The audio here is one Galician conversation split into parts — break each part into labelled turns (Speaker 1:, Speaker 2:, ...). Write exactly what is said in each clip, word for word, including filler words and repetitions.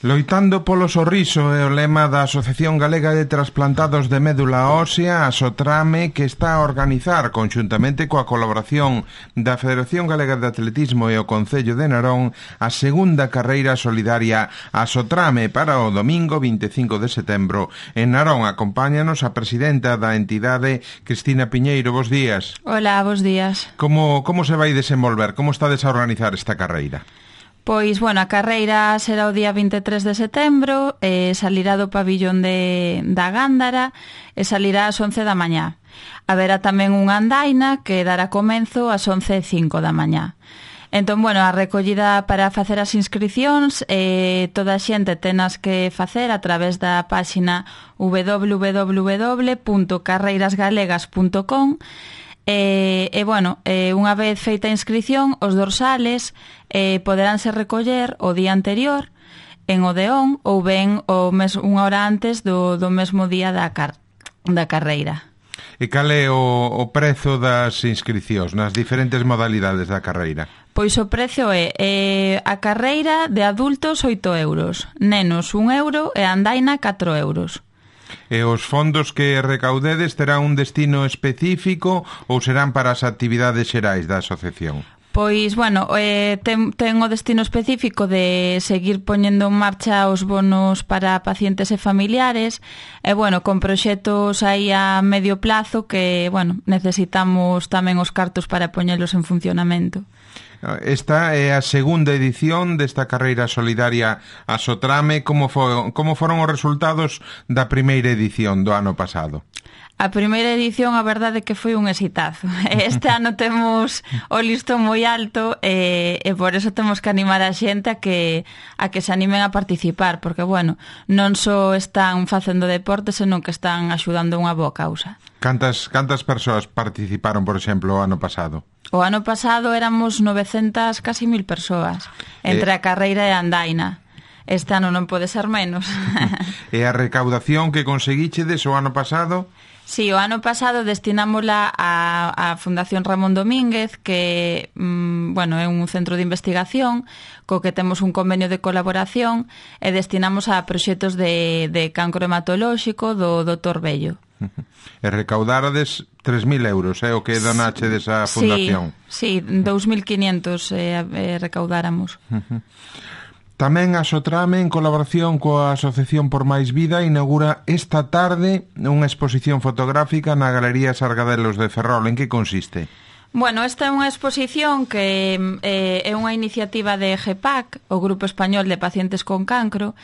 Speaker 1: Loitando polo sorriso é o lema da Asociación Galega de Trasplantados de Médula Ósea, a Sotrame, que está a organizar, conxuntamente coa colaboración da Federación Galega de Atletismo e o Concello de Narón, a segunda carreira solidaria a Sotrame para o domingo vinte e cinco de setembro. En Narón acompáñanos a presidenta da entidade, Cristina Piñeiro. Bos días.
Speaker 2: Hola, bos días.
Speaker 1: Como, como se vai desenvolver? Como estades a organizar esta carreira?
Speaker 2: Pois, bueno, a carreira será o día vinte e tres de setembro, eh, salirá do pabillón de, da Gándara e salirá ás once da mañá. Haberá tamén unha andaina que dará comenzo ás once e cinco da mañá. Entón, bueno, a recollida para facer as inscricións, eh, toda a xente tenas que facer a través da páxina w w w punto carreirasgalegas punto com. E, e bueno, eh, unha vez feita a inscrición, os dorsales eh, poderánse recoller o día anterior en Odeón ou ben o mes, unha hora antes do, do mesmo día da, car da carreira.
Speaker 1: E cal é o, o prezo das inscricións nas diferentes modalidades da carreira?
Speaker 2: Pois o prezo é eh, a carreira de adultos oito euros, nenos un euro e a andaina catro euros.
Speaker 1: E os fondos que recaudedes terán un destino específico ou serán para as actividades xerais da asociación?
Speaker 2: Pois, bueno, eh, ten, ten o destino específico de seguir poñendo en marcha os bonos para pacientes e familiares e, bueno, con proxectos aí a medio plazo que, bueno, necesitamos tamén os cartos para poñelos en funcionamento.
Speaker 1: Esta é a segunda edición desta carreira solidaria a Sotrame. Como, for, como foron os resultados da primeira edición do ano pasado?
Speaker 2: A primeira edición, a verdade é que foi un exitazo. Este ano temos o listón moi alto e, e por eso temos que animar a xente a que a que se animen a participar, porque, bueno, non só están facendo deporte, senón que están axudando unha boa causa.
Speaker 1: Cantas, cantas persoas participaron, por exemplo, o ano pasado?
Speaker 2: O ano pasado éramos novecentas, casi mil persoas, entre eh... a carreira e a andaina. Este ano non pode ser menos.
Speaker 1: E a recaudación que conseguichedes o ano pasado?
Speaker 2: Sí, o ano pasado destinámola a, a Fundación Ramón Domínguez, que, mmm, bueno, é un centro de investigación co que temos un convenio de colaboración e destinamos a proxectos de, de cancro hematolóxico do doutor Bello.
Speaker 1: E recaudárades tres mil euros, é eh, o que donache desa fundación?
Speaker 2: Sí, sí, dous mil quinientos eh, eh, recaudáramos.
Speaker 1: Tamén a Sotrame, en colaboración coa Asociación por Máis Vida, inaugura esta tarde unha exposición fotográfica na Galería Sargadelos de Ferrol. En que consiste?
Speaker 2: Bueno, esta é unha exposición que eh, é unha iniciativa de G P A C, o Grupo Español de Pacientes con Cancro,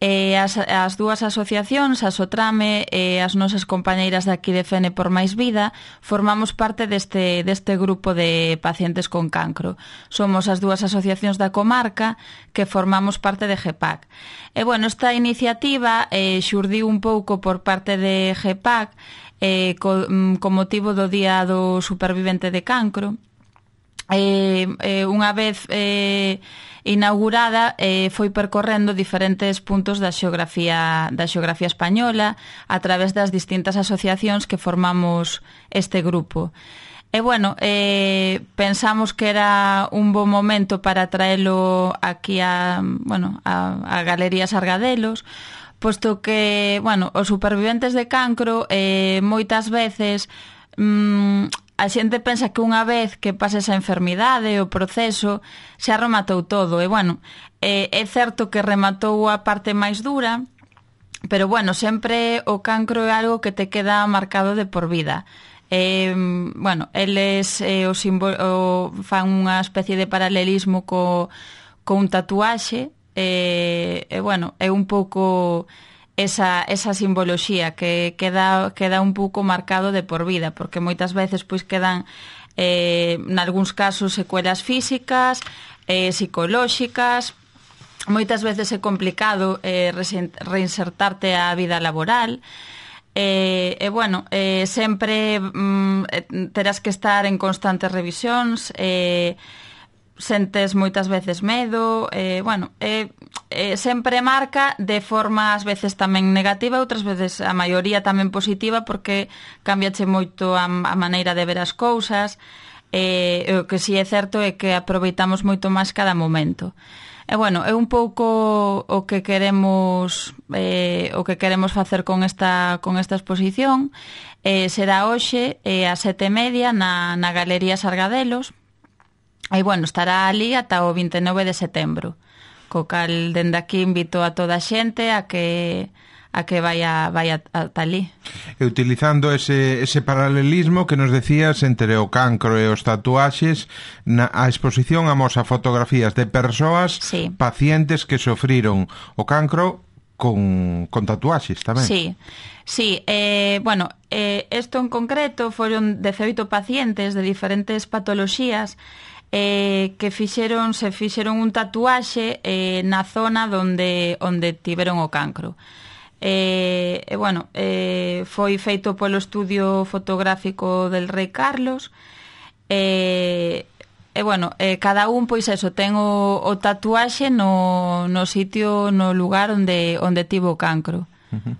Speaker 2: e as, as dúas asociacións, a Sotrame e as nosas compañeiras de aquí de Fene por Máis Vida, formamos parte deste, deste grupo de pacientes con cancro. Somos as dúas asociacións da comarca que formamos parte de G P A C. E, bueno, esta iniciativa eh, xurdiu un pouco por parte de G P A C eh, co, co motivo do Día do Supervivente de Cancro. Eh, eh, unha vez eh, inaugurada, eh, foi percorrendo diferentes puntos da xeografía da xeografía española a través das distintas asociacións que formamos este grupo. E, bueno, eh, pensamos que era un bo momento para traelo aquí a, bueno, a, a Galería Sargadelos, posto que, bueno, os superviventes de cancro eh, moitas veces mmm, a xente pensa que unha vez que pasa esa enfermidade, o proceso, xa rematou todo. E, bueno, eh, é certo que rematou a parte máis dura, pero, bueno, sempre o cancro é algo que te queda marcado de por vida. Eh, bueno, eles eh, o o, fan unha especie de paralelismo co, co un tatuaxe, e, eh, bueno, é un pouco esa, esa simboloxía que queda, queda un pouco marcado de por vida, porque moitas veces pois quedan eh, nalgúns casos secuelas físicas, eh, psicolóxicas, moitas veces é complicado eh, reinsertarte á vida laboral. E, eh, eh, bueno, eh, sempre mm, terás que estar en constantes revisións, eh, sentes moitas veces medo, eh, bueno, eh, eh, sempre marca de forma ás veces tamén negativa, outras veces a maioría tamén positiva, porque cambiache moito a, a maneira de ver as cousas. Eh, o que si é certo é que aproveitamos moito máis cada momento. E, E bueno, é un pouco o que queremos eh, o que queremos facer con esta con esta exposición. Eh, será hoxe eh, a sete e media na, na Galería Sargadelos. E bueno, estará ali ata o vinte e nove de setembro. Co cal, dende aquí, invito a toda a xente a que a que vaya, vaya ata ali.
Speaker 1: E utilizando ese, ese paralelismo que nos decías entre o cancro e os tatuaxes, na, a exposición amosa fotografías de persoas,
Speaker 2: sí,
Speaker 1: pacientes que sofriron o cancro con, con tatuaxes tamén.
Speaker 2: Sí, sí, eh, bueno, eh, esto en concreto foron dezoito pacientes de diferentes patoloxías eh, que fixeron, se fixeron un tatuaxe eh, na zona donde, onde tiveron o cancro. E, eh, bueno, eh, foi feito polo estudio fotográfico del Rei Carlos. E, eh, eh, bueno, eh, cada un, pois eso, ten o, o tatuaxe no, no sitio, no lugar onde, onde tivo o cancro.
Speaker 1: Uh-huh.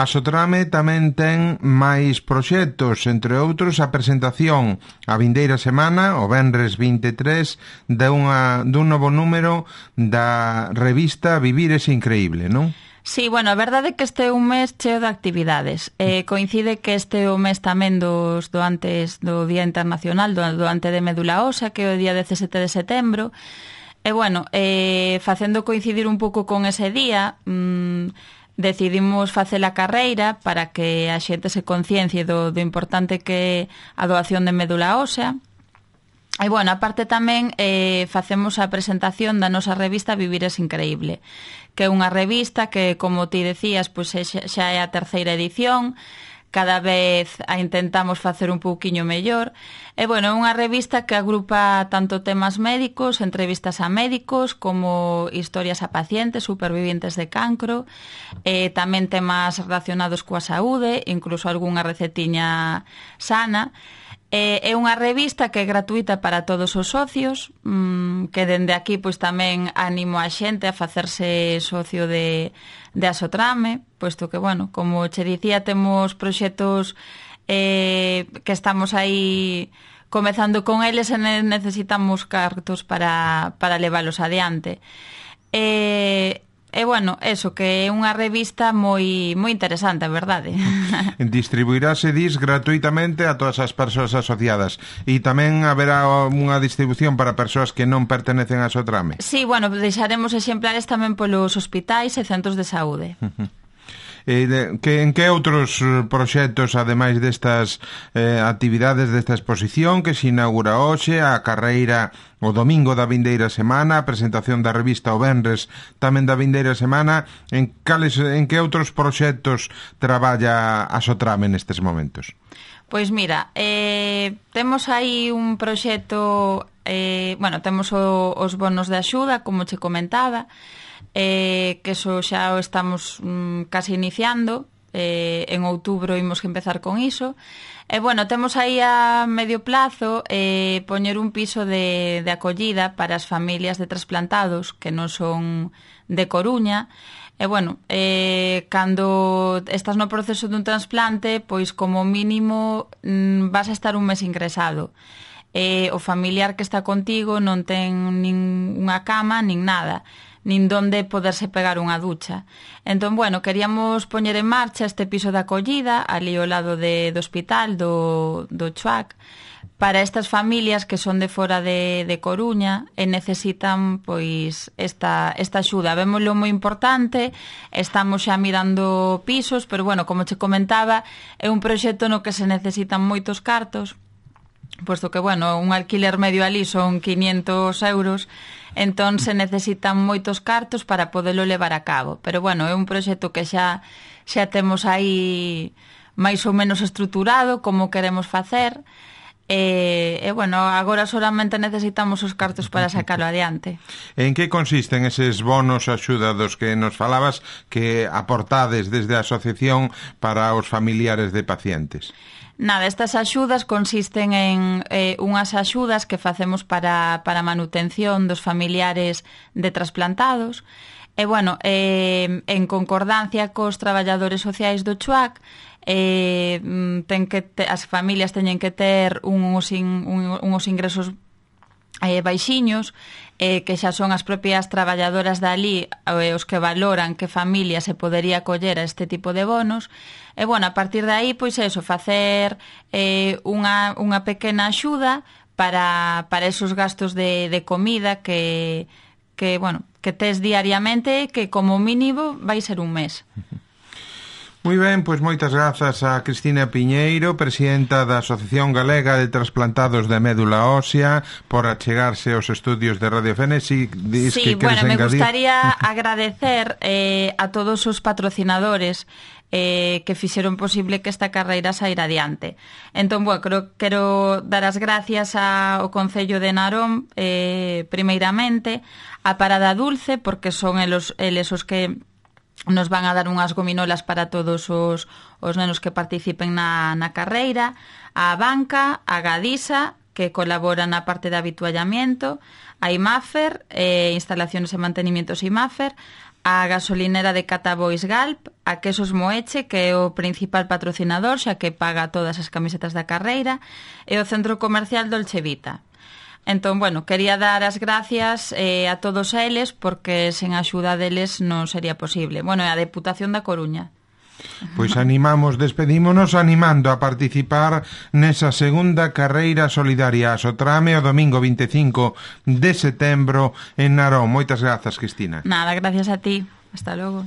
Speaker 1: A Sotrame tamén ten máis proxectos, entre outros a presentación a vindeira semana, o venres vinte e tres, de unha, dun novo número da revista Vivir es Increíble, non?
Speaker 2: Sí, bueno, a verdade é que este é un mes cheo de actividades. Eh, coincide que este é o mes tamén dos doantes do Día Internacional do doante de médula ósea, que é o día dezasete de setembro. E, bueno, eh, facendo coincidir un pouco con ese día, mmm, decidimos facer a carreira para que a xente se conciencie do, do importante que é a doación de médula ósea. E, bueno, aparte tamén eh, facemos a presentación da nosa revista Vivir es Increíble, que é unha revista que, como ti decías, pois xa é a terceira edición, cada vez a intentamos facer un pouquiño mellor. E, bueno, é unha revista que agrupa tanto temas médicos, entrevistas a médicos, como historias a pacientes, supervivientes de cancro, e tamén temas relacionados coa saúde, incluso algunha recetiña sana. É unha revista que é gratuita para todos os socios, que dende aquí pois tamén animo a xente a facerse socio de, de Asotrame, posto que, bueno, como che dicía, temos proxectos eh, que estamos aí comezando con eles e necesitamos cartos para, para leválos adiante. E... E, bueno, eso, que é unha revista moi moi interesante, a verdade.
Speaker 1: Distribuirase, dis, gratuitamente a todas as persoas asociadas. E tamén haberá unha distribución para persoas que non pertenecen a Sotrame?
Speaker 2: Sí, bueno, deixaremos exemplares tamén polos hospitais e centros de saúde.
Speaker 1: Uh-huh. E de, que, en que outros proxectos, ademais destas eh, actividades desta exposición que se inaugura hoxe, a carreira o domingo da vindeira semana, a presentación da revista o venres tamén da vindeira semana, en, cales, en que outros proxectos traballa a Sotrame nestes momentos?
Speaker 2: Pois mira, eh, temos aí un proxecto, eh, bueno, temos o, os bonos de axuda, como che comentaba, eh, que eso xa o estamos mm, casi iniciando, eh, en outubro imos que empezar con iso. E, bueno, temos aí a medio plazo eh, poñer un piso de, de acollida para as familias de trasplantados que non son de Coruña. E, bueno, eh, cando estás no proceso dun trasplante, pois como mínimo mm, vas a estar un mes ingresado. Eh, o familiar que está contigo non ten nin unha cama, nin nada, nin donde poderse pegar unha ducha. Entón, bueno, queríamos poñer en marcha este piso de acollida ali ao lado de, do hospital do, do Chuac para estas familias que son de fora de, de Coruña e necesitan pois esta, esta axuda. Vémoslo moi importante, estamos xa mirando pisos, pero, bueno, como che comentaba, é un proxecto no que se necesitan moitos cartos, posto que, bueno, un alquiler medio ali son quinientos euros, entón se necesitan moitos cartos para podelo levar a cabo. Pero, bueno, é un proxecto que xa xa temos aí máis ou menos estruturado como queremos facer. E, e, bueno, agora solamente necesitamos os cartos para sacarlo adiante.
Speaker 1: En que consisten eses bonos axuda dos que nos falabas que aportades desde a asociación para os familiares de pacientes?
Speaker 2: Nada, estas axudas consisten en eh, unhas axudas que facemos para, para manutención dos familiares de trasplantados. E, bueno, eh, en concordancia cos traballadores sociais do Chuac, eh, ten que te, as familias teñen que ter uns, in, un, uns ingresos eh, baixiños, eh, que xa son as propias traballadoras dali eh, os que valoran que familia se podería acoller a este tipo de bonos. E, bueno, a partir de aí, pois eso, facer eh, unha, unha pequena axuda para, para esos gastos de, de comida que, que, bueno, que tes diariamente, que como mínimo vai ser un mes.
Speaker 1: Moi ben, pois moitas grazas a Cristina Piñeiro, presidenta da Asociación Galega de Trasplantados de Médula Ósea, por achegarse aos estudios de Radio Fénix.
Speaker 2: Sí,
Speaker 1: que
Speaker 2: bueno, me
Speaker 1: engadir...
Speaker 2: gustaría agradecer eh, a todos os patrocinadores eh, que fixeron posible que esta carreira saíra adiante. Entón, bueno, creo, quero dar as gracias ao Concello de Narón, eh, primeiramente, a Parada Dulce, porque son eles, eles os que nos van a dar unhas gominolas para todos os, os nenos que participen na, na carreira, a Banca, a Gadisa, que colabora na parte de habituallamiento, a IMAFER, eh, instalaciones e mantenimientos IMAFER, a gasolinera de Catabois Galp, a Quesos Moeche, que é o principal patrocinador, xa que paga todas as camisetas da carreira, e o Centro Comercial Dolce Vita. Entón, bueno, quería dar as gracias eh, a todos eles, porque sen a axuda deles non sería posible. Bueno, e a Deputación da Coruña.
Speaker 1: Pois animamos, despedímonos animando a participar nesa segunda carreira solidaria a Sotrame o domingo vinte e cinco de setembro en Narón. Moitas grazas, Cristina.
Speaker 2: Nada, gracias a ti. Hasta logo.